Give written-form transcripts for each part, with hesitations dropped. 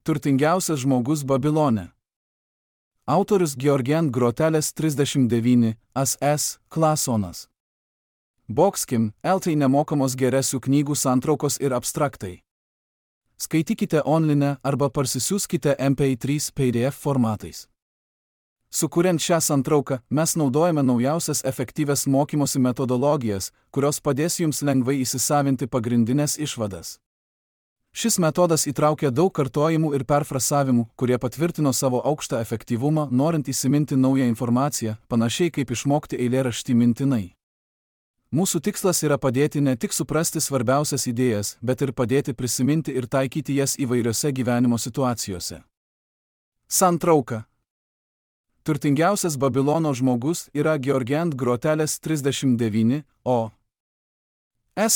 Turtingiausias žmogus Babilone. Autorius Georgian Groteles 39, AS, Klasonas. Boxkim, LT nemokamos geresių knygų santraukos ir abstraktai. Skaitykite online arba parsisiųskite MP3 PDF formatais. Sukuriant šią santrauką, mes naudojame naujausias efektyvias mokymosi metodologijas, kurios padės jums lengvai įsisavinti pagrindinės išvadas. Šis metodas įtraukia daug kartojimų ir perfrasavimų, kurie patvirtino savo aukštą efektyvumą, norint įsiminti naują informaciją, panašiai kaip išmokti eilėraštį mintinai. Mūsų tikslas yra padėti ne tik suprasti svarbiausias idėjas, bet ir padėti prisiminti ir taikyti jas įvairiose gyvenimo situacijose. Santrauka. Turtingiausias Babilono žmogus yra Georgian Groteles 39,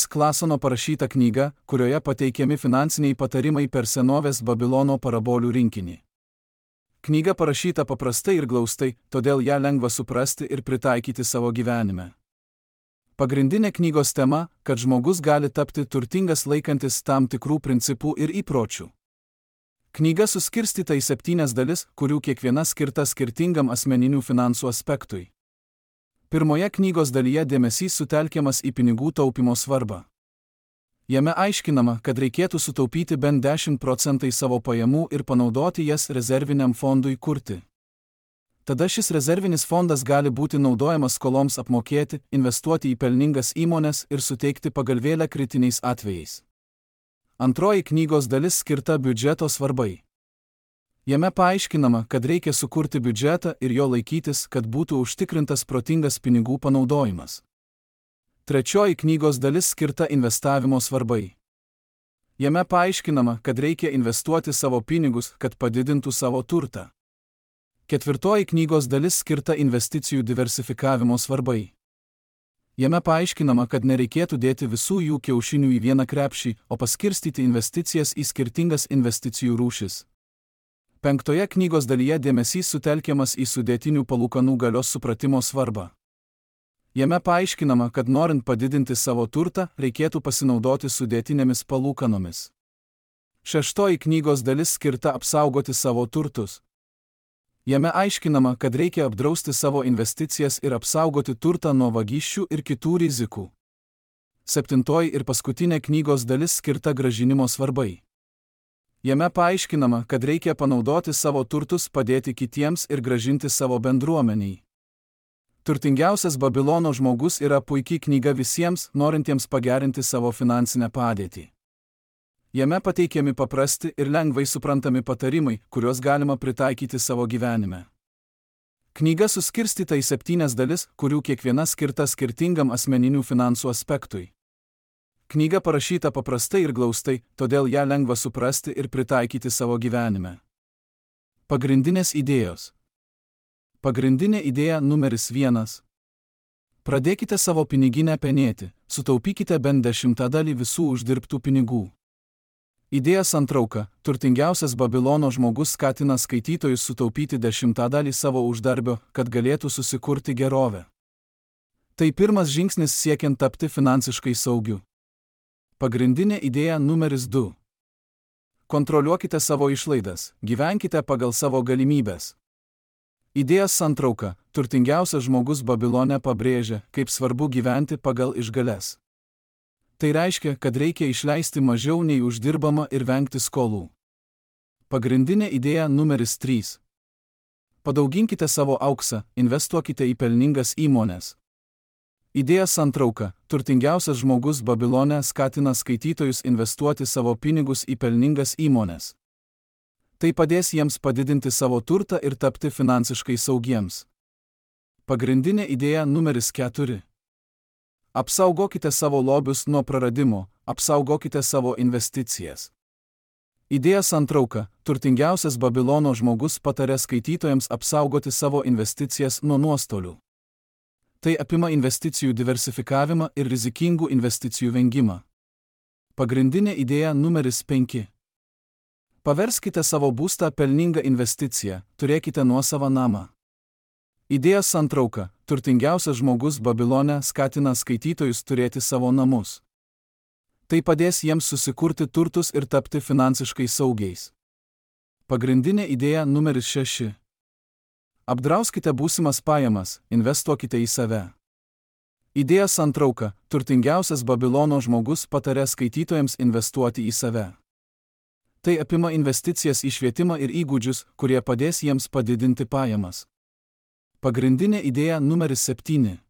Klasono parašyta knyga, kurioje pateikiami finansiniai patarimai per senovės Babilono parabolių rinkinį. Knyga parašyta paprastai ir glaustai, todėl ją lengva suprasti ir pritaikyti savo gyvenime. Pagrindinė knygos tema, kad žmogus gali tapti turtingas laikantis tam tikrų principų ir įpročių. Knyga suskirstyta į 7 dalis, kurių kiekviena skirta skirtingam asmeninių finansų aspektui. Pirmoje knygos dalyje dėmesys sutelkiamas į pinigų taupimo svarbą. Jame aiškinama, kad reikėtų sutaupyti bent 10% savo pajamų ir panaudoti jas rezerviniam fondui kurti. Tada šis rezervinis fondas gali būti naudojamas skoloms apmokėti, investuoti į pelningas įmones ir suteikti pagalvėlę kritiniais atvejais. Antroji knygos dalis skirta biudžeto svarbai. Jame paaiškinama, kad reikia sukurti biudžetą ir jo laikytis, kad būtų užtikrintas protingas pinigų panaudojimas. Trečioji knygos dalis skirta investavimo svarbai. Jame paaiškinama, kad reikia investuoti savo pinigus, kad padidintų savo turtą. Ketvirtoji knygos dalis skirta investicijų diversifikavimo svarbai. Jame paaiškinama, kad nereikėtų dėti visų jų kiaušinių į vieną krepšį, o paskirstyti investicijas į skirtingas investicijų rūšis. Penktoje knygos dalyje dėmesys sutelkiamas į sudėtinių palūkanų galios supratimo svarbą. Jame paaiškinama, kad norint padidinti savo turtą, reikėtų pasinaudoti sudėtinėmis palūkanomis. Šeštoji knygos dalis skirta apsaugoti savo turtus. Jame aiškinama, kad reikia apdrausti savo investicijas ir apsaugoti turtą nuo vagysčių ir kitų rizikų. Septintoji ir paskutinė knygos dalis skirta grąžinimo svarbai. Jame paaiškinama, kad reikia panaudoti savo turtus, padėti kitiems ir grąžinti savo bendruomeniai. Turtingiausias Babilono žmogus yra puikiai knyga visiems, norintiems pagerinti savo finansinę padėtį. Jame pateikiami paprasti ir lengvai suprantami patarimai, kuriuos galima pritaikyti savo gyvenime. Knyga suskirstyta į 7 dalis, kurių kiekviena skirta skirtingam asmeninių finansų aspektui. Knyga parašyta paprastai ir glaustai, todėl ją lengva suprasti ir pritaikyti savo gyvenime. Pagrindinės idėjos. Pagrindinė idėja numeris 1. Pradėkite savo piniginę penėti, sutaupykite bent 10% visų uždirbtų pinigų. Idėja santrauka. Turtingiausias Babilono žmogus skatina skaitytojus sutaupyti 10% savo uždarbio, kad galėtų susikurti gerovę. Tai pirmas žingsnis siekiant tapti finansiškai saugiu. Pagrindinė idėja numeris 2. Kontroliuokite savo išlaidas, gyvenkite pagal savo galimybes. Idėja santrauka. Turtingiausias žmogus Babilone pabrėžia, kaip svarbu gyventi pagal išgales. Tai reiškia, kad reikia išleisti mažiau nei uždirbama ir vengti skolų. Pagrindinė idėja numeris 3. Padauginkite savo auksą, investuokite į pelningas įmones. Idėja santrauka. Turtingiausias žmogus Babilone skatina skaitytojus investuoti savo pinigus į pelningas įmones. Tai padės jiems padidinti savo turtą ir tapti finansiškai saugiems. Pagrindinė idėja numeris 4. Apsaugokite savo lobius nuo praradimo, apsaugokite savo investicijas. Idėja santrauka. Turtingiausias Babilono žmogus pataria skaitytojams apsaugoti savo investicijas nuo nuostolių. Tai apima investicijų diversifikavimą ir rizikingų investicijų vengimą. Pagrindinė idėja numeris 5. Paverskite savo būstą pelningą investiciją, turėkite nuosavą namą. Idėja santrauka. Turtingiausias žmogus Babilone skatina skaitytojus turėti savo namus. Tai padės jiems susikurti turtus ir tapti finansiškai saugiais. Pagrindinė idėja numeris 6. Apdrauskite būsimas pajamas, investuokite į save. Idėja santrauka. Turtingiausias Babilono žmogus patarė skaitytojams investuoti į save. Tai apima investicijas į švietimą ir įgūdžius, kurie padės jiems padidinti pajamas. Pagrindinė idėja numeris 7.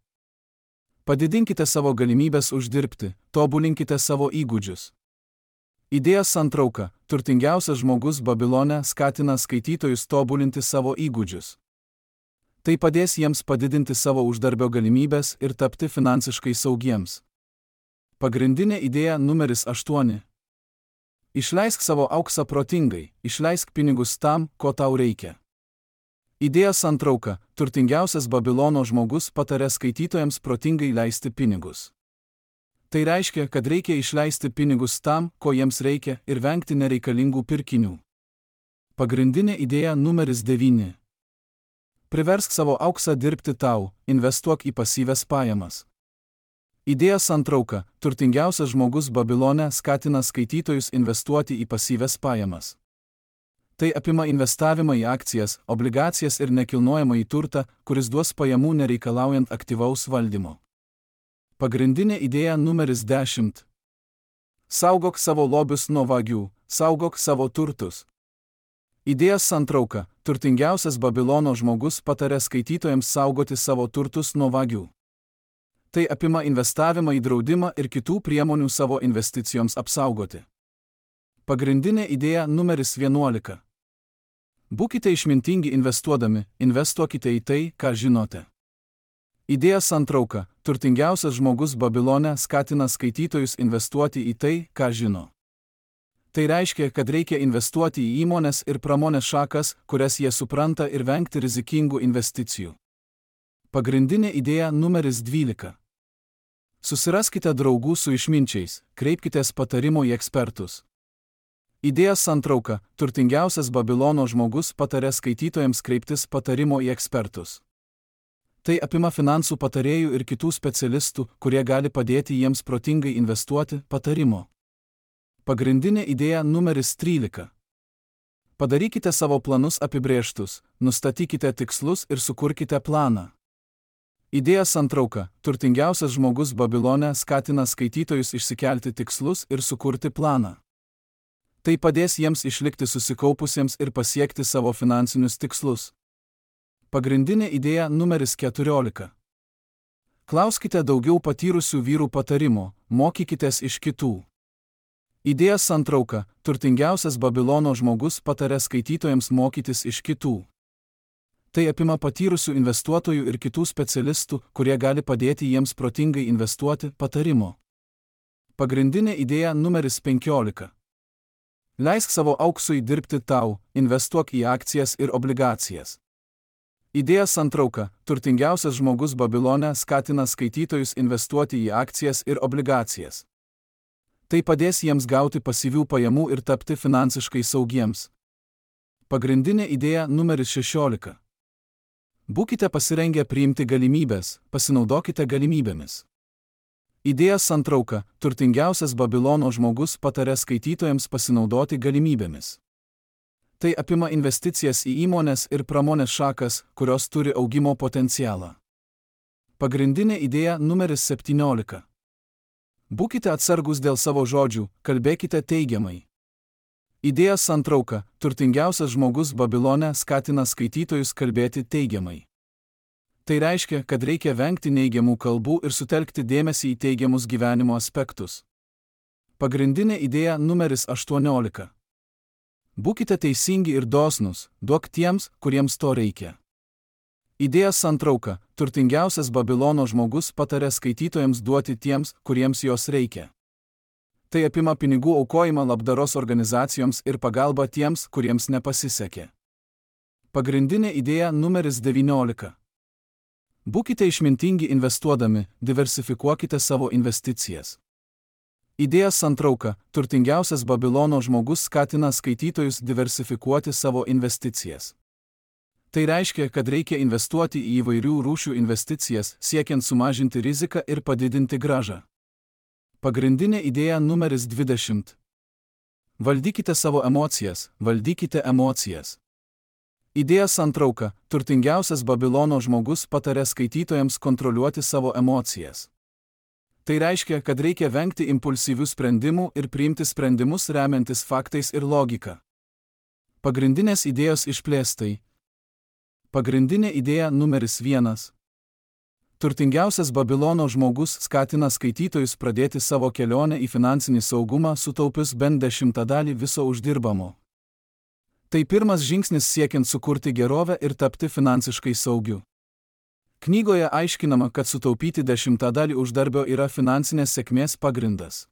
Padidinkite savo galimybės uždirbti, tobulinkite savo įgūdžius. Idėja santrauka. Turtingiausias žmogus Babilone skatina skaitytojus tobulinti savo įgūdžius. Tai padės jiems padidinti savo uždarbio galimybės ir tapti finansiškai saugiems. Pagrindinė idėja numeris 8. Išleisk savo auksą protingai, išleisk pinigus tam, ko tau reikia. Idėja santrauka. Turtingiausias Babilono žmogus patarė skaitytojams protingai leisti pinigus. Tai reiškia, kad reikia išleisti pinigus tam, ko jiems reikia, ir vengti nereikalingų pirkinių. Pagrindinė idėja numeris 9. Priversk savo auksą dirbti tau, investuok į pasyvias pajamas. Idėja santrauka. Turtingiausias žmogus Babilone skatina skaitytojus investuoti į pasyvias pajamas. Tai apima investavimą į akcijas, obligacijas ir nekilnojamąjį turtą, kuris duos pajamų nereikalaujant aktyvaus valdymo. Pagrindinė idėja numeris 10. Saugok savo lobius nuo vagių, saugok savo turtus. Idėja santrauka. Turtingiausias Babilono žmogus patarė skaitytojams saugoti savo turtus nuo vagių. Tai apima investavimą į draudimą ir kitų priemonių savo investicijoms apsaugoti. Pagrindinė idėja numeris 11. Būkite išmintingi investuodami, investuokite į tai, ką žinote. Idėja santrauka. Turtingiausias žmogus Babilone skatina skaitytojus investuoti į tai, ką žino. Tai reiškia, kad reikia investuoti į įmones ir pramonės šakas, kurias jie supranta, ir vengti rizikingų investicijų. Pagrindinė idėja numeris 12. Susiraskite draugų su išminčiais, kreipkitės patarimo į ekspertus. Idėja santrauka. Turtingiausias Babilono žmogus patarė skaitytojams kreiptis patarimo į ekspertus. Tai apima finansų patarėjų ir kitų specialistų, kurie gali padėti jiems protingai investuoti, patarimo. Pagrindinė idėja numeris 13. Padarykite savo planus apibrėžtus, nustatykite tikslus ir sukurkite planą. Idėja santrauka. Turtingiausias žmogus Babilone skatina skaitytojus išsikelti tikslus ir sukurti planą. Tai padės jiems išlikti susikaupusiems ir pasiekti savo finansinius tikslus. Pagrindinė idėja numeris 14. Klauskite daugiau patyrusių vyrų patarimo, mokykitės iš kitų. Idėja santrauka. Turtingiausias Babilono žmogus patarė skaitytojams mokytis iš kitų. Tai apima patyrusių investuotojų ir kitų specialistų, kurie gali padėti jiems protingai investuoti, patarimo. Pagrindinė idėja numeris 15. Leisk savo auksui dirbti tau, investuok į akcijas ir obligacijas. Idėja santrauka. Turtingiausias žmogus Babilone skatina skaitytojus investuoti į akcijas ir obligacijas. Tai padės jiems gauti pasyvių pajamų ir tapti finansiškai saugiems. Pagrindinė idėja numeris 16. Būkite pasirengę priimti galimybės, pasinaudokite galimybėmis. Idėja santrauka. Turtingiausias Babilono žmogus patarė skaitytojams pasinaudoti galimybėmis. Tai apima investicijas į įmones ir pramonės šakas, kurios turi augimo potencialą. Pagrindinė idėja numeris 17. Būkite atsargus dėl savo žodžių, kalbėkite teigiamai. Idėja santrauka. Turtingiausias žmogus Babilone skatina skaitytojus kalbėti teigiamai. Tai reiškia, kad reikia vengti neigiamų kalbų ir sutelkti dėmesį į teigiamus gyvenimo aspektus. Pagrindinė idėja numeris 18. Būkite teisingi ir dosnūs, duok tiems, kuriems to reikia. Idėja santrauka. Turtingiausias Babilono žmogus patarė skaitytojams duoti tiems, kuriems jos reikia. Tai apima pinigų aukojimą labdaros organizacijoms ir pagalbą tiems, kuriems nepasisekė. Pagrindinė idėja numeris 19. Būkite išmintingi investuodami, diversifikuokite savo investicijas. Idėja santrauka. Turtingiausias Babilono žmogus skatina skaitytojus diversifikuoti savo investicijas. Tai reiškia, kad reikia investuoti į įvairių rūšių investicijas, siekiant sumažinti riziką ir padidinti grąžą. Pagrindinė idėja numeris 20. Valdykite savo emocijas, valdykite emocijas. Idėjos santrauka – turtingiausias Babilono žmogus patarė skaitytojams kontroliuoti savo emocijas. Tai reiškia, kad reikia vengti impulsyvių sprendimų ir priimti sprendimus remiantis faktais ir logika. Pagrindinės idėjos išplėstai. Pagrindinė idėja numeris 1. Turtingiausias Babilono žmogus skatina skaitytojus pradėti savo kelionę į finansinį saugumą sutaupius bent 10% viso uždirbamo. Tai pirmas žingsnis siekiant sukurti gerovę ir tapti finansiškai saugiu. Knygoje aiškinama, kad sutaupyti 10% uždarbio yra finansinės sėkmės pagrindas.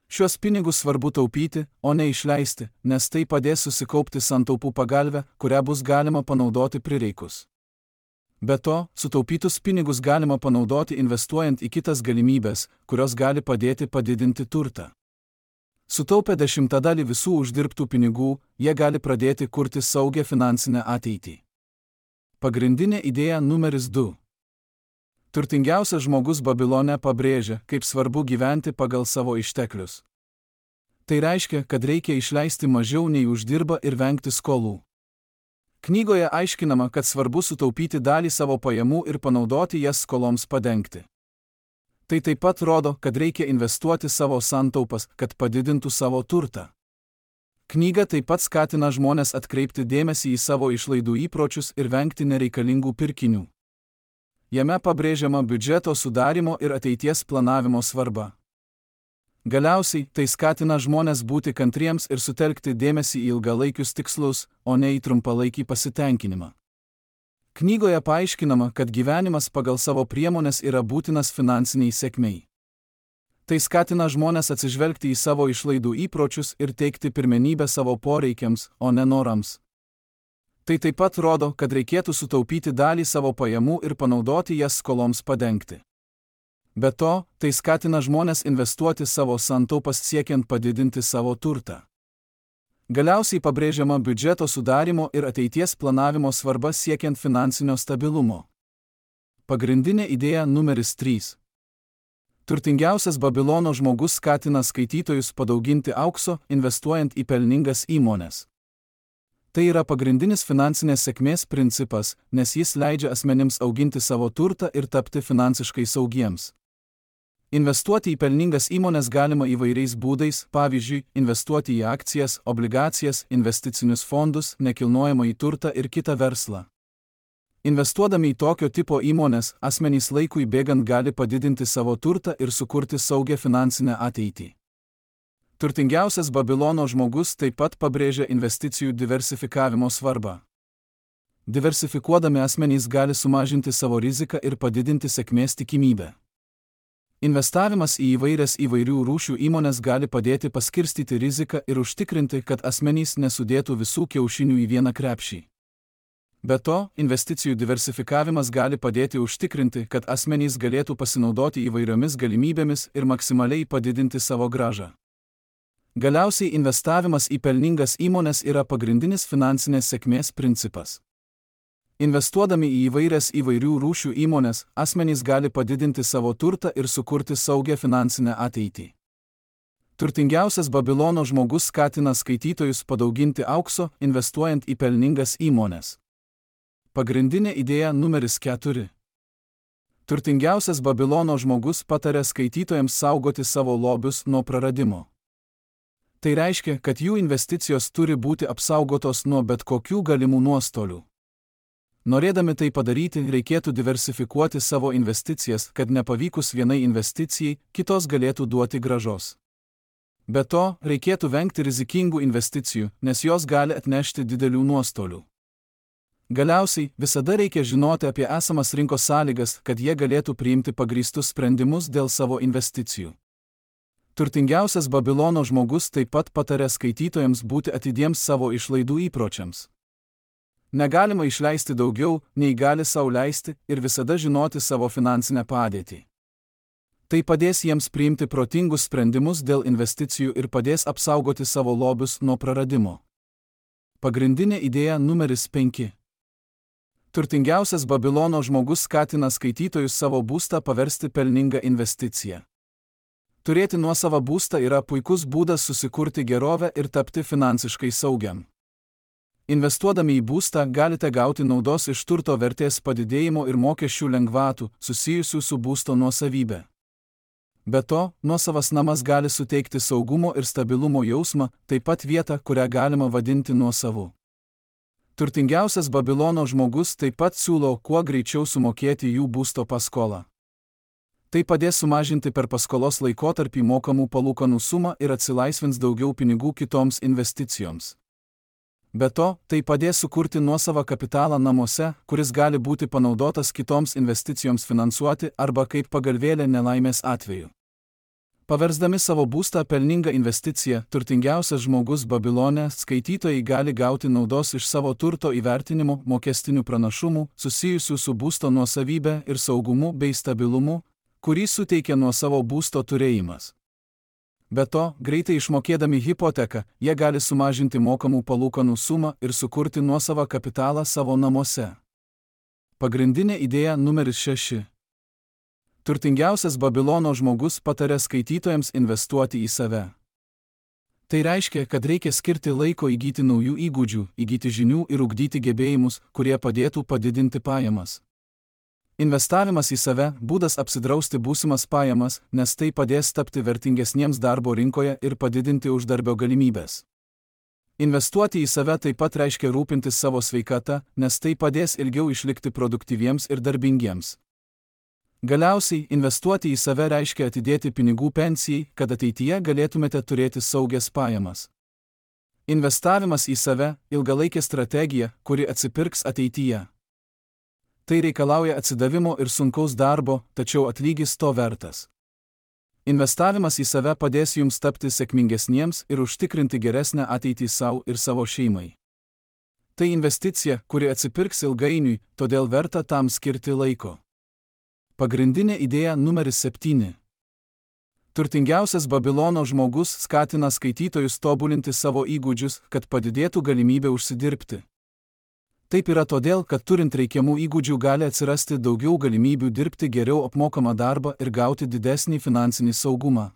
Šios pinigus svarbu taupyti, o ne išleisti, nes tai padės susikaupti santaupų pagalvę, kurią bus galima panaudoti prireikus. Be to, sutaupytus pinigus galima panaudoti investuojant į kitas galimybės, kurios gali padėti padidinti turtą. Sutaupę 10% visų uždirbtų pinigų, jie gali pradėti kurti saugią finansinę ateitį. Pagrindinė idėja numeris 2. Turtingiausias žmogus Babilone pabrėžia, kaip svarbu gyventi pagal savo išteklius. Tai reiškia, kad reikia išleisti mažiau nei uždirba ir vengti skolų. Knygoje aiškinama, kad svarbu sutaupyti dalį savo pajamų ir panaudoti jas skoloms padengti. Tai taip pat rodo, kad reikia investuoti savo santaupas, kad padidintų savo turtą. Knyga taip pat skatina žmones atkreipti dėmesį į savo išlaidų įpročius ir vengti nereikalingų pirkinių. Jame pabrėžiama biudžeto sudarimo ir ateities planavimo svarba. Galiausiai, tai skatina žmones būti kantriems ir sutelkti dėmesį į ilgalaikius tikslus, o ne į trumpalaikį pasitenkinimą. Knygoje paaiškinama, kad gyvenimas pagal savo priemones yra būtinas finansiniai sėkmei. Tai skatina žmones atsižvelgti į savo išlaidų įpročius ir teikti pirmenybę savo poreikiams, o ne norams. Tai taip pat rodo, kad reikėtų sutaupyti dalį savo pajamų ir panaudoti jas skoloms padengti. Be to, tai skatina žmones investuoti savo santaupas siekiant padidinti savo turtą. Galiausiai pabrėžiama biudžeto sudarimo ir ateities planavimo svarba siekiant finansinio stabilumo. Pagrindinė idėja numeris 3. Turtingiausias Babilono žmogus skatina skaitytojus padauginti aukso, investuojant į pelningas įmones. Tai yra pagrindinis finansinės sėkmės principas, nes jis leidžia asmenims auginti savo turtą ir tapti finansiškai saugiems. Investuoti į pelningas įmones galima įvairiais būdais, pavyzdžiui, investuoti į akcijas, obligacijas, investicinius fondus, nekilnojamąjį turtą ir kitą verslą. Investuodami į tokio tipo įmones, asmenys laikui bėgant gali padidinti savo turtą ir sukurti saugią finansinę ateitį. Turtingiausias Babilono žmogus taip pat pabrėžia investicijų diversifikavimo svarbą. Diversifikuodami asmenys gali sumažinti savo riziką ir padidinti sėkmės tikimybę. Investavimas į įvairių rūšių įmones gali padėti paskirstyti riziką ir užtikrinti, kad asmenys nesudėtų visų kiaušinių į vieną krepšį. Be to, investicijų diversifikavimas gali padėti užtikrinti, kad asmenys galėtų pasinaudoti įvairiomis galimybėmis ir maksimaliai padidinti savo grąžą. Galiausiai investavimas į pelningas įmones yra pagrindinis finansinės sėkmės principas. Investuodami į įvairių rūšių įmones, asmenys gali padidinti savo turtą ir sukurti saugią finansinę ateitį. Turtingiausias Babilono žmogus skatina skaitytojus padauginti aukso, investuojant į pelningas įmones. Pagrindinė idėja numeris 4. Turtingiausias Babilono žmogus pataria skaitytojams saugoti savo lobius nuo praradimo. Tai reiškia, kad jų investicijos turi būti apsaugotos nuo bet kokių galimų nuostolių. Norėdami tai padaryti, reikėtų diversifikuoti savo investicijas, kad nepavykus vienai investicijai, kitos galėtų duoti grąžos. Be to, reikėtų vengti rizikingų investicijų, nes jos gali atnešti didelių nuostolių. Galiausiai, visada reikia žinoti apie esamas rinkos sąlygas, kad jie galėtų priimti pagrįstus sprendimus dėl savo investicijų. Turtingiausias Babilono žmogus taip pat pataria skaitytojams būti atidiems savo išlaidų įpročiams. Negalima išleisti daugiau, nei gali sau leisti, ir visada žinoti savo finansinę padėtį. Tai padės jiems priimti protingus sprendimus dėl investicijų ir padės apsaugoti savo lobius nuo praradimo. Pagrindinė idėja numeris 5. Turtingiausias Babilono žmogus skatina skaitytojus savo būstą paversti pelningą investiciją. Turėti nuosavą būstą yra puikus būdas susikurti gerovę ir tapti finansiškai saugiam. Investuodami į būstą galite gauti naudos iš turto vertės padidėjimo ir mokesčių lengvatų susijusių su būsto nuosavybė. Be to, nuosavas namas gali suteikti saugumo ir stabilumo jausmą, taip pat vietą, kurią galima vadinti nuosavu. Turtingiausias Babilono žmogus taip pat siūlo kuo greičiau sumokėti jų būsto paskolą. Tai padės sumažinti per paskolos laikotarpį mokamų palūkanų sumą ir atsilaisvins daugiau pinigų kitoms investicijoms. Be to, tai padės sukurti nuosavą kapitalą namuose, kuris gali būti panaudotas kitoms investicijoms finansuoti arba kaip pagalvėlė nelaimės atveju. Paversdami savo būstą pelningą investiciją, turtingiausias žmogus Babilone skaitytojai gali gauti naudos iš savo turto įvertinimo, mokestinių pranašumų, susijusių su būsto nuosavybė ir saugumu bei stabilumu, kurį suteikia nuosavo būsto turėjimas. Be to, greitai išmokėdami hipoteką, jie gali sumažinti mokamų palūkanų sumą ir sukurti nuosavą kapitalą savo namuose. Pagrindinė idėja numeris 6. Turtingiausias Babilono žmogus pataria skaitytojams investuoti į save. Tai reiškia, kad reikia skirti laiko įgyti naujų įgūdžių, įgyti žinių ir ugdyti gebėjimus, kurie padėtų padidinti pajamas. Investavimas į save – būdas apsidrausti būsimas pajamas, nes tai padės tapti vertingesniems darbo rinkoje ir padidinti uždarbio galimybės. Investuoti į save taip pat reiškia rūpintis savo sveikata, nes tai padės ilgiau išlikti produktyviems ir darbingiems. Galiausiai, investuoti į save reiškia atidėti pinigų pensijai, kad ateityje galėtumėte turėti saugias pajamas. Investavimas į save – ilgalaikė strategija, kuri atsipirks ateityje. Tai reikalauja atsidavimo ir sunkaus darbo, tačiau atlygis to vertas. Investavimas į save padės jums tapti sėkmingesniems ir užtikrinti geresnę ateitį savo ir savo šeimai. Tai investicija, kuri atsipirks ilgainiui, todėl verta tam skirti laiko. Pagrindinė idėja numeris 7. Turtingiausias Babilono žmogus skatina skaitytojus tobulinti savo įgūdžius, kad padidėtų galimybė užsidirbti. Taip yra todėl, kad turint reikiamų įgūdžių gali atsirasti daugiau galimybių dirbti geriau apmokamą darbą ir gauti didesnį finansinį saugumą.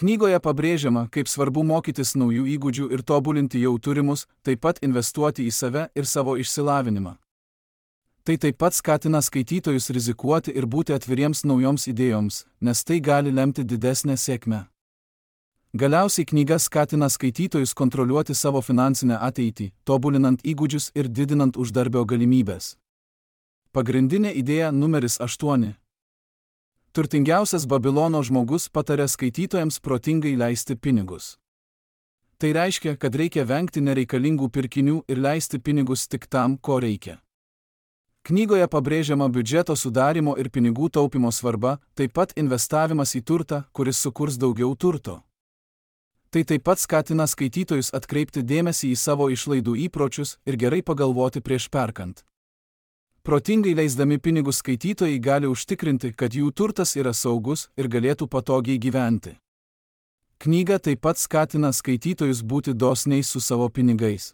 Knygoje pabrėžiama, kaip svarbu mokytis naujų įgūdžių ir tobulinti jau turimus, taip pat investuoti į save ir savo išsilavinimą. Tai taip pat skatina skaitytojus rizikuoti ir būti atviriems naujoms idėjoms, nes tai gali lemti didesnę sėkmę. Galiausiai knyga skatina skaitytojus kontroliuoti savo finansinę ateitį, tobulinant įgūdžius ir didinant uždarbio galimybės. Pagrindinė idėja numeris 8. Turtingiausias Babilono žmogus pataria skaitytojams protingai leisti pinigus. Tai reiškia, kad reikia vengti nereikalingų pirkinių ir leisti pinigus tik tam, ko reikia. Knygoje pabrėžiama biudžeto sudarimo ir pinigų taupimo svarba, taip pat investavimas į turtą, kuris sukurs daugiau turto. Tai taip pat skatina skaitytojus atkreipti dėmesį į savo išlaidų įpročius ir gerai pagalvoti prieš perkant. Protingai leisdami pinigus skaitytojai gali užtikrinti, kad jų turtas yra saugus ir galėtų patogiai gyventi. Knyga taip pat skatina skaitytojus būti dosniais su savo pinigais.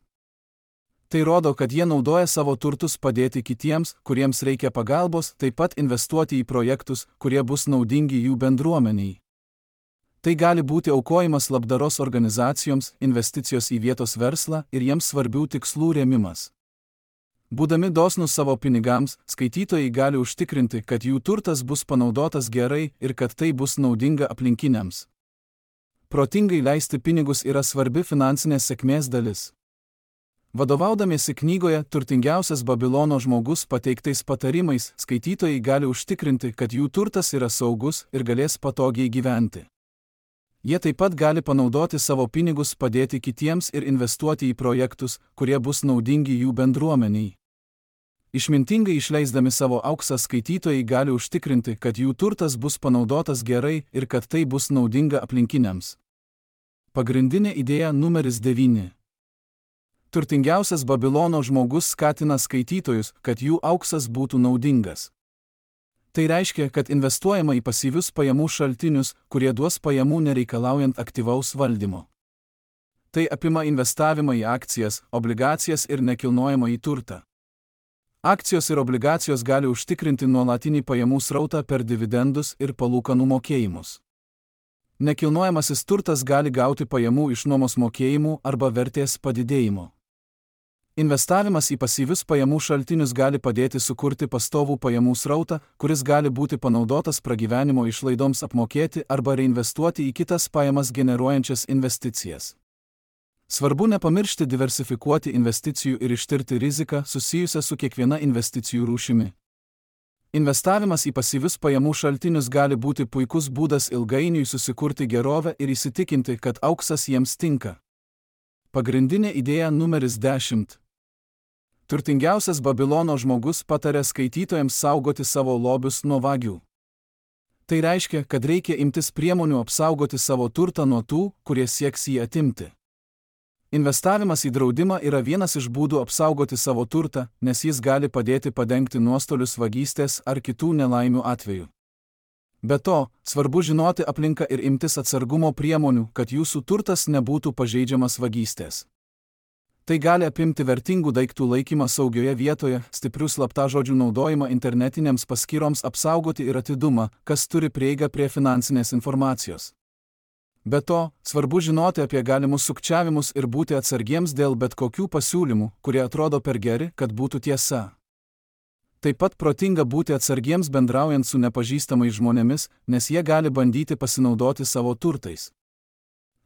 Tai rodo, kad jie naudoja savo turtus padėti kitiems, kuriems reikia pagalbos, taip pat investuoti į projektus, kurie bus naudingi jų bendruomeniai. Tai gali būti aukojimas labdaros organizacijoms, investicijos į vietos verslą ir jiems svarbių tikslų rėmimas. Būdami dosnūs savo pinigams, skaitytojai gali užtikrinti, kad jų turtas bus panaudotas gerai ir kad tai bus naudinga aplinkiniams. Protingai leisti pinigus yra svarbi finansinės sėkmės dalis. Vadovaudamiesi knygoje Turtingiausias Babilono žmogus pateiktais patarimais, skaitytojai gali užtikrinti, kad jų turtas yra saugus ir galės patogiai gyventi. Jie taip pat gali panaudoti savo pinigus padėti kitiems ir investuoti į projektus, kurie bus naudingi jų bendruomeniai. Išmintingai išleisdami savo auksą skaitytojai gali užtikrinti, kad jų turtas bus panaudotas gerai ir kad tai bus naudinga aplinkiniams. Pagrindinė idėja numeris 9. Turtingiausias Babilono žmogus skatina skaitytojus, kad jų auksas būtų naudingas. Tai reiškia, kad investuojama į pasyvius pajamų šaltinius, kurie duos pajamų nereikalaujant aktyvaus valdymo. Tai apima investavimą į akcijas, obligacijas ir nekilnojamą į turtą. Akcijos ir obligacijos gali užtikrinti nuolatinį pajamų srautą per dividendus ir palūkanų mokėjimus. Nekilnojamasis turtas gali gauti pajamų iš nuomos mokėjimų arba vertės padidėjimo. Investavimas į pasyvius pajamų šaltinius gali padėti sukurti pastovų pajamų srautą, kuris gali būti panaudotas pragyvenimo išlaidoms apmokėti arba reinvestuoti į kitas pajamas generuojančias investicijas. Svarbu nepamiršti diversifikuoti investicijų ir ištirti riziką susijusią su kiekviena investicijų rūšimi. Investavimas į pasyvius pajamų šaltinius gali būti puikus būdas ilgainiui susikurti gerovę ir įsitikinti, kad auksas jiems tinka. Pagrindinė idėja numeris 10. Turtingiausias Babilono žmogus patarė skaitytojams saugoti savo lobius nuo vagių. Tai reiškia, kad reikia imtis priemonių apsaugoti savo turtą nuo tų, kurie sieks jį atimti. Investavimas į draudimą yra vienas iš būdų apsaugoti savo turtą, nes jis gali padėti padengti nuostolius vagystės ar kitų nelaimių atveju. Be to, svarbu žinoti aplinką ir imtis atsargumo priemonių, kad jūsų turtas nebūtų pažeidžiamas vagystės. Tai gali apimti vertingų daiktų laikymą saugioje vietoje, stiprių slaptažodžių naudojimą internetinėms paskyroms apsaugoti ir atidumą, kas turi prieigą prie finansinės informacijos. Be to, svarbu žinoti apie galimus sukčiavimus ir būti atsargiems dėl bet kokių pasiūlymų, kurie atrodo per geri, kad būtų tiesa. Taip pat protinga būti atsargiems bendraujant su nepažįstamais žmonėmis, nes jie gali bandyti pasinaudoti savo turtais.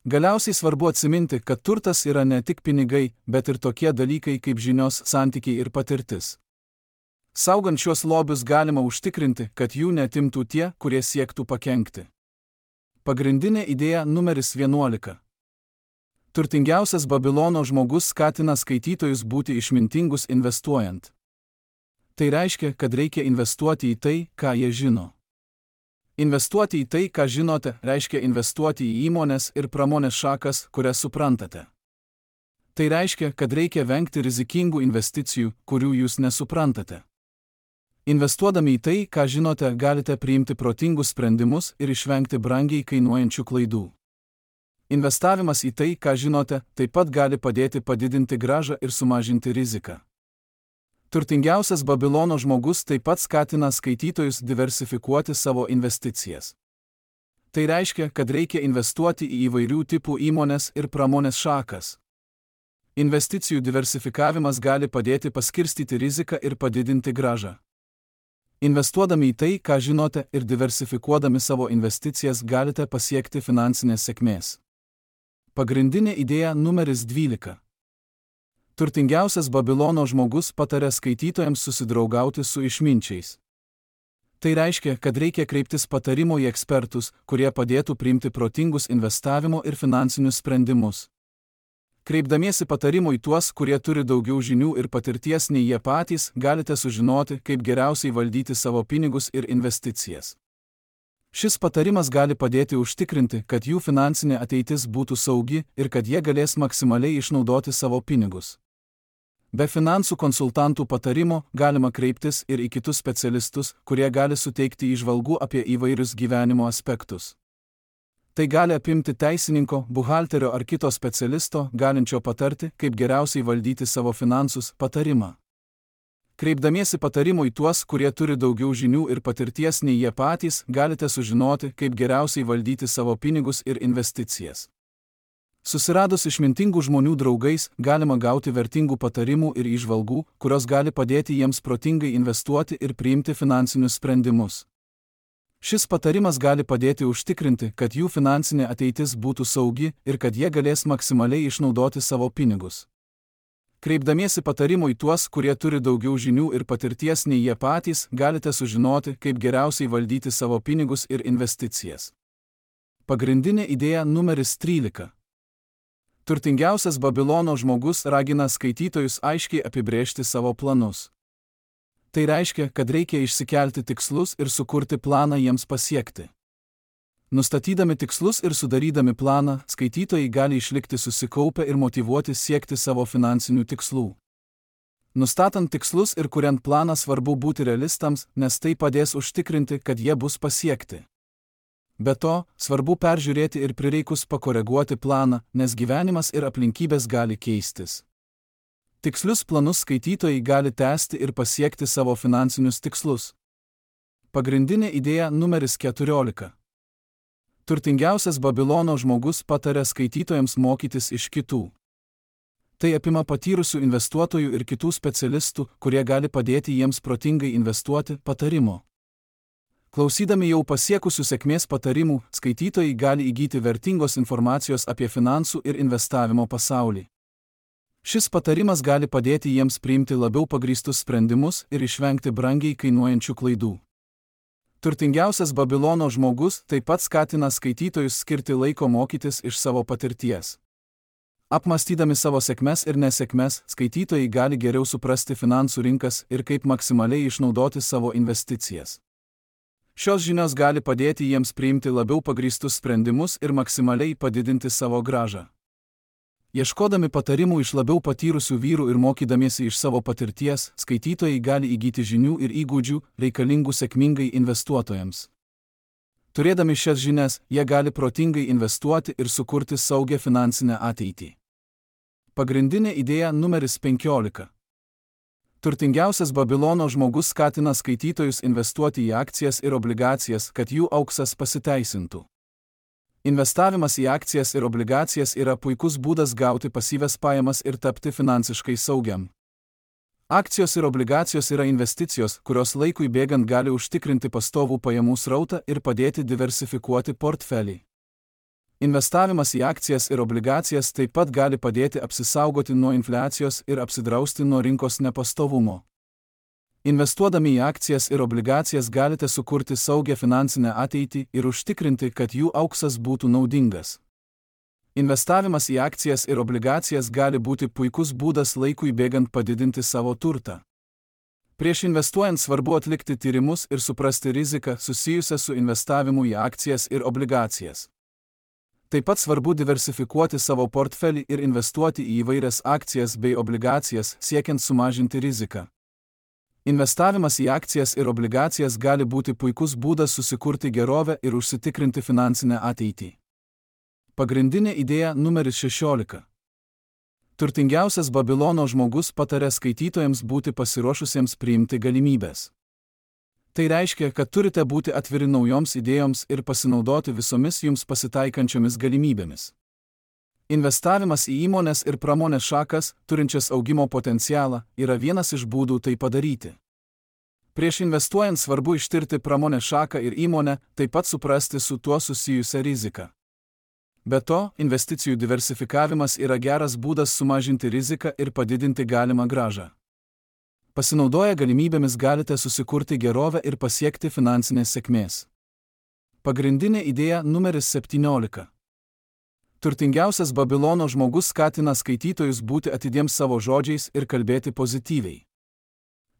Galiausiai svarbu atsiminti, kad turtas yra ne tik pinigai, bet ir tokie dalykai kaip žinios, santykiai ir patirtis. Saugant šiuos lobius galima užtikrinti, kad jų neatimtų tie, kurie siektų pakenkti. Pagrindinė idėja numeris 11. Turtingiausias Babilono žmogus skatina skaitytojus būti išmintingus investuojant. Tai reiškia, kad reikia investuoti į tai, ką jie žino. Investuoti į tai, ką žinote, reiškia investuoti į įmonės ir pramonės šakas, kurias suprantate. Tai reiškia, kad reikia vengti rizikingų investicijų, kurių jūs nesuprantate. Investuodami į tai, ką žinote, galite priimti protingus sprendimus ir išvengti brangiai kainuojančių klaidų. Investavimas į tai, ką žinote, taip pat gali padėti padidinti grąžą ir sumažinti riziką. Turtingiausias Babilono žmogus taip pat skatina skaitytojus diversifikuoti savo investicijas. Tai reiškia, kad reikia investuoti į įvairių tipų įmonės ir pramonės šakas. Investicijų diversifikavimas gali padėti paskirstyti riziką ir padidinti grąžą. Investuodami į tai, ką žinote, ir diversifikuodami savo investicijas galite pasiekti finansinės sėkmės. Pagrindinė idėja numeris 12. Turtingiausias Babilono žmogus patarė skaitytojams susidraugauti su išminčiais. Tai reiškia, kad reikia kreiptis patarimo į ekspertus, kurie padėtų priimti protingus investavimo ir finansinius sprendimus. Kreipdamiesi patarimo į tuos, kurie turi daugiau žinių ir patirties nei jie patys, galite sužinoti, kaip geriausiai valdyti savo pinigus ir investicijas. Šis patarimas gali padėti užtikrinti, kad jų finansinė ateitis būtų saugi ir kad jie galės maksimaliai išnaudoti savo pinigus. Be finansų konsultantų patarimo galima kreiptis ir į kitus specialistus, kurie gali suteikti įžvalgų apie įvairius gyvenimo aspektus. Tai gali apimti teisininko, buhalterio ar kito specialisto, galinčio patarti, kaip geriausiai valdyti savo finansus, patarimą. Kreipdamiesi patarimo į tuos, kurie turi daugiau žinių ir patirties nei jie patys, galite sužinoti, kaip geriausiai valdyti savo pinigus ir investicijas. Susiradus išmintingų žmonių draugais, galima gauti vertingų patarimų ir įžvalgų, kurios gali padėti jiems protingai investuoti ir priimti finansinius sprendimus. Šis patarimas gali padėti užtikrinti, kad jų finansinė ateitis būtų saugi ir kad jie galės maksimaliai išnaudoti savo pinigus. Kreipdamiesi patarimo į tuos, kurie turi daugiau žinių ir patirties nei jie patys, galite sužinoti, kaip geriausiai valdyti savo pinigus ir investicijas. Pagrindinė idėja numeris 13. Turtingiausias Babilono žmogus ragina skaitytojus aiškiai apibrėžti savo planus. Tai reiškia, kad reikia išsikelti tikslus ir sukurti planą jiems pasiekti. Nustatydami tikslus ir sudarydami planą, skaitytojai gali išlikti susikaupę ir motyvuoti siekti savo finansinių tikslų. Nustatant tikslus ir kuriant planą svarbu būti realistams, nes tai padės užtikrinti, kad jie bus pasiekti. Be to, svarbu peržiūrėti ir prireikus pakoreguoti planą, nes gyvenimas ir aplinkybės gali keistis. Tikslius planus skaitytojai gali tęsti ir pasiekti savo finansinius tikslus. Pagrindinė idėja numeris 14. Turtingiausias Babilono žmogus pataria skaitytojams mokytis iš kitų. Tai apima patyrusių investuotojų ir kitų specialistų, kurie gali padėti jiems protingai investuoti, patarimo. Klausydami jau pasiekusių sėkmės patarimų, skaitytojai gali įgyti vertingos informacijos apie finansų ir investavimo pasaulį. Šis patarimas gali padėti jiems priimti labiau pagrįstus sprendimus ir išvengti brangiai kainuojančių klaidų. Turtingiausias Babilono žmogus taip pat skatina skaitytojus skirti laiko mokytis iš savo patirties. Apmąstydami savo sėkmes ir nesėkmes, skaitytojai gali geriau suprasti finansų rinkas ir kaip maksimaliai išnaudoti savo investicijas. Šios žinios gali padėti jiems priimti labiau pagrįstus sprendimus ir maksimaliai padidinti savo grąžą. Ieškodami patarimų iš labiau patyrusių vyrų ir mokydamiesi iš savo patirties, skaitytojai gali įgyti žinių ir įgūdžių, reikalingų sėkmingai investuotojams. Turėdami šias žinias, jie gali protingai investuoti ir sukurti saugią finansinę ateitį. Pagrindinė idėja numeris 15. Turtingiausias Babilono žmogus skatina skaitytojus investuoti į akcijas ir obligacijas, kad jų auksas pasiteisintų. Investavimas į akcijas ir obligacijas yra puikus būdas gauti pasyvias pajamas ir tapti finansiškai saugiam. Akcijos ir obligacijos yra investicijos, kurios laikui bėgant gali užtikrinti pastovų pajamų srautą ir padėti diversifikuoti portfelį. Investavimas į akcijas ir obligacijas taip pat gali padėti apsisaugoti nuo infliacijos ir apsidrausti nuo rinkos nepastovumo. Investuodami į akcijas ir obligacijas galite sukurti saugią finansinę ateitį ir užtikrinti, kad jų auksas būtų naudingas. Investavimas į akcijas ir obligacijas gali būti puikus būdas laikui bėgant padidinti savo turtą. Prieš investuojant svarbu atlikti tyrimus ir suprasti riziką susijusią su investavimu į akcijas ir obligacijas. Taip pat svarbu diversifikuoti savo portfelį ir investuoti į įvairias akcijas bei obligacijas, siekiant sumažinti riziką. Investavimas į akcijas ir obligacijas gali būti puikus būdas susikurti gerovę ir užsitikrinti finansinę ateitį. Pagrindinė idėja numeris 16. Turtingiausias Babilono žmogus pataria skaitytojams būti pasiruošusiems priimti galimybės. Tai reiškia, kad turite būti atviri naujoms idėjoms ir pasinaudoti visomis jums pasitaikančiomis galimybėmis. Investavimas į įmonės ir pramonės šakas, turinčias augimo potencialą, yra vienas iš būdų tai padaryti. Prieš investuojant svarbu ištirti pramonės šaką ir įmonę, taip pat suprasti su tuo susijusią riziką. Be to, investicijų diversifikavimas yra geras būdas sumažinti riziką ir padidinti galimą grąžą. Pasinaudoję galimybėmis galite susikurti gerovę ir pasiekti finansinės sėkmės. Pagrindinė idėja numeris 17. Turtingiausias Babilono žmogus skatina skaitytojus būti atidiems savo žodžiais ir kalbėti pozityviai.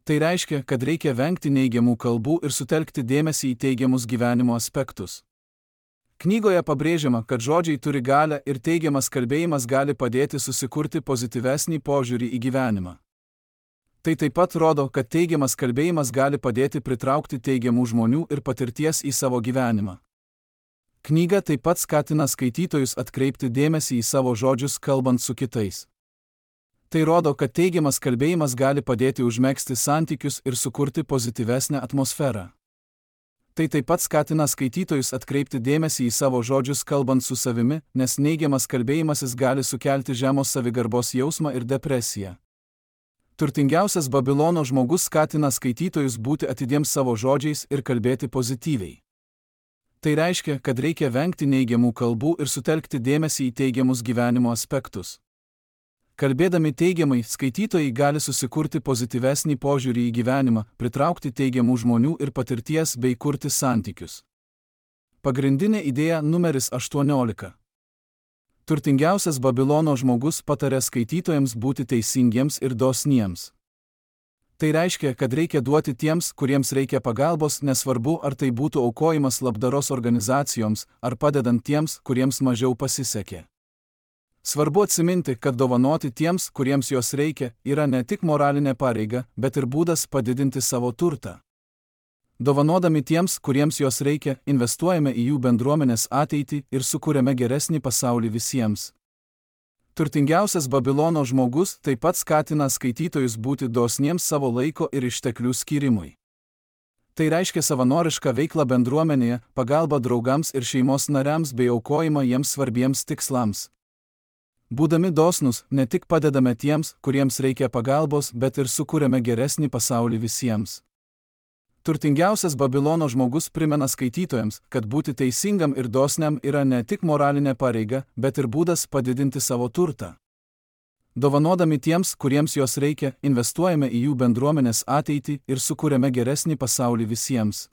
Tai reiškia, kad reikia vengti neigiamų kalbų ir sutelkti dėmesį į teigiamus gyvenimo aspektus. Knygoje pabrėžiama, kad žodžiai turi galią ir teigiamas kalbėjimas gali padėti susikurti pozityvesnį požiūrį į gyvenimą. Tai taip pat rodo, kad teigiamas kalbėjimas gali padėti pritraukti teigiamų žmonių ir patirties į savo gyvenimą. Knyga taip pat skatina skaitytojus atkreipti dėmesį į savo žodžius kalbant su kitais. Tai rodo, kad teigiamas kalbėjimas gali padėti užmegzti santykius ir sukurti pozityvesnę atmosferą. Tai taip pat skatina skaitytojus atkreipti dėmesį į savo žodžius kalbant su savimi, nes neigiamas kalbėjimasis gali sukelti žemos savigarbos jausmą ir depresiją. Turtingiausias Babilono žmogus skatina skaitytojus būti atidiems savo žodžiais ir kalbėti pozityviai. Tai reiškia, kad reikia vengti neigiamų kalbų ir sutelkti dėmesį į teigiamus gyvenimo aspektus. Kalbėdami teigiamai, skaitytojai gali susikurti pozityvesnį požiūrį į gyvenimą, pritraukti teigiamų žmonių ir patirties bei kurti santykius. Pagrindinė idėja numeris 18. Turtingiausias Babilono žmogus pataria skaitytojams būti teisingiems ir dosniems. Tai reiškia, kad reikia duoti tiems, kuriems reikia pagalbos, nesvarbu, ar tai būtų aukojimas labdaros organizacijoms, ar padedant tiems, kuriems mažiau pasisekė. Svarbu atsiminti, kad dovanoti tiems, kuriems jos reikia, yra ne tik moralinė pareiga, bet ir būdas padidinti savo turtą. Dovanodami tiems, kuriems jos reikia, investuojame į jų bendruomenės ateitį ir sukūrėme geresnį pasaulį visiems. Turtingiausias Babilono žmogus taip pat skatina skaitytojus būti dosniems savo laiko ir išteklių skyrimui. Tai reiškia savanorišką veiklą bendruomenėje, pagalbą draugams ir šeimos nariams bei aukojimą jiems svarbiems tikslams. Būdami dosnūs, ne tik padedame tiems, kuriems reikia pagalbos, bet ir sukūrėme geresnį pasaulį visiems. Turtingiausias Babilono žmogus primena skaitytojams, kad būti teisingam ir dosniam yra ne tik moralinė pareiga, bet ir būdas padidinti savo turtą. Dovanodami tiems, kuriems jos reikia, investuojame į jų bendruomenės ateitį ir sukūrėme geresnį pasaulį visiems.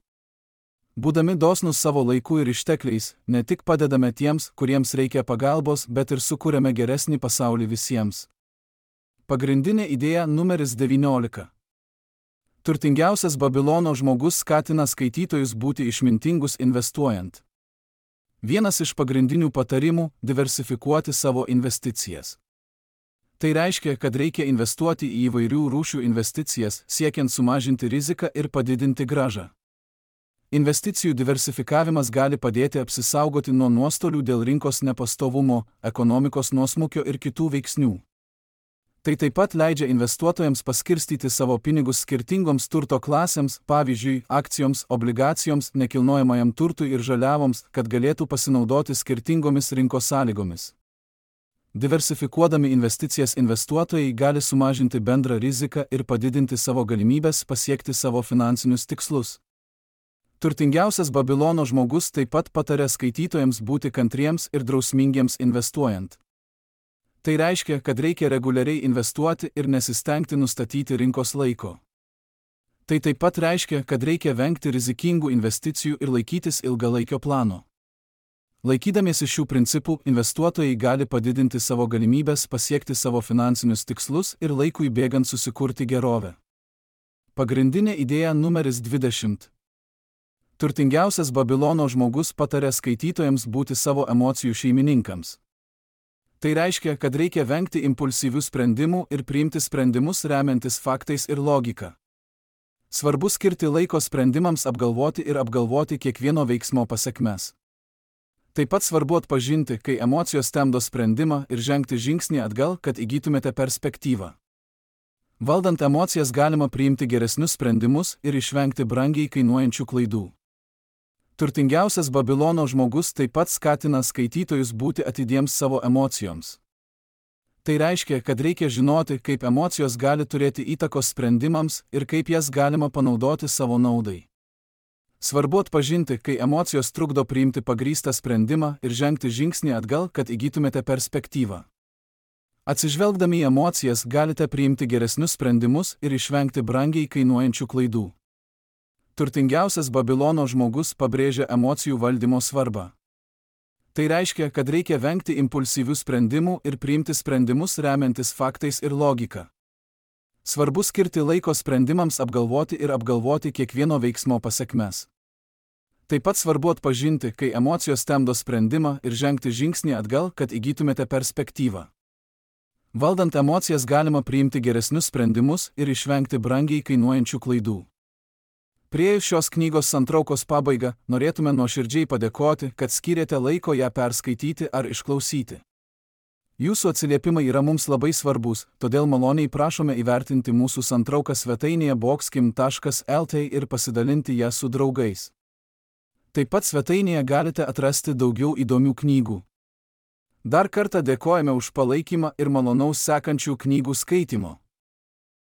Būdami dosnūs savo laiku ir ištekliais, ne tik padedame tiems, kuriems reikia pagalbos, bet ir sukūrėme geresnį pasaulį visiems. Pagrindinė idėja numeris 19. Turtingiausias Babilono žmogus skatina skaitytojus būti išmintingus investuojant. Vienas iš pagrindinių patarimų – diversifikuoti savo investicijas. Tai reiškia, kad reikia investuoti į įvairių rūšių investicijas, siekiant sumažinti riziką ir padidinti grąžą. Investicijų diversifikavimas gali padėti apsisaugoti nuo nuostolių dėl rinkos nepastovumo, ekonomikos nuosmukio ir kitų veiksnių. Tai taip pat leidžia investuotojams paskirstyti savo pinigus skirtingoms turto klasėms, pavyzdžiui, akcijoms, obligacijoms, nekilnojamajam turtui ir žaliavoms, kad galėtų pasinaudoti skirtingomis rinkos sąlygomis. Diversifikuodami investicijas investuotojai gali sumažinti bendrą riziką ir padidinti savo galimybes pasiekti savo finansinius tikslus. Turtingiausias Babilono žmogus taip pat pataria skaitytojams būti kantriems ir drausmingiems investuojant. Tai reiškia, kad reikia reguliariai investuoti ir nesistengti nustatyti rinkos laiko. Tai taip pat reiškia, kad reikia vengti rizikingų investicijų ir laikytis ilgalaikio plano. Laikydamiesi šių principų, investuotojai gali padidinti savo galimybes pasiekti savo finansinius tikslus ir laikui bėgant susikurti gerovę. Pagrindinė idėja numeris 20. Turtingiausias Babilono žmogus pataria skaitytojams būti savo emocijų šeimininkams. Tai reiškia, kad reikia vengti impulsyvių sprendimų ir priimti sprendimus remiantis faktais ir logika. Svarbu skirti laiko sprendimams apgalvoti ir apgalvoti kiekvieno veiksmo pasekmes. Taip pat svarbu atpažinti, kai emocijos temdo sprendimą ir žengti žingsnį atgal, kad įgytumėte perspektyvą. Valdant emocijas galima priimti geresnius sprendimus ir išvengti brangiai kainuojančių klaidų. Turtingiausias Babilono žmogus taip pat skatina skaitytojus būti atidiems savo emocijoms. Tai reiškia, kad reikia žinoti, kaip emocijos gali turėti įtakos sprendimams ir kaip jas galima panaudoti savo naudai. Svarbu atpažinti, kai emocijos trukdo priimti pagrįstą sprendimą ir žengti žingsnį atgal, kad įgytumėte perspektyvą. Atsižvelgdami į emocijas galite priimti geresnius sprendimus ir išvengti brangiai kainuojančių klaidų. Turtingiausias Babilono žmogus pabrėžia emocijų valdymo svarbą. Tai reiškia, kad reikia vengti impulsyvių sprendimų ir priimti sprendimus remiantis faktais ir logika. Svarbu skirti laiko sprendimams apgalvoti ir apgalvoti kiekvieno veiksmo pasekmes. Taip pat svarbu atpažinti, kai emocijos temdo sprendimą ir žengti žingsnį atgal, kad įgytumėte perspektyvą. Valdant emocijas galima priimti geresnius sprendimus ir išvengti brangiai kainuojančių klaidų. Priėjus šios knygos santraukos pabaigą, norėtume nuoširdžiai padėkoti, kad skyrėte laiko ją perskaityti ar išklausyti. Jūsų atsiliepimai yra mums labai svarbus, todėl maloniai prašome įvertinti mūsų santrauką svetainėje boxkim.lt ir pasidalinti ją su draugais. Taip pat svetainėje galite atrasti daugiau įdomių knygų. Dar kartą dėkojame už palaikymą ir malonaus sekančių knygų skaitimo.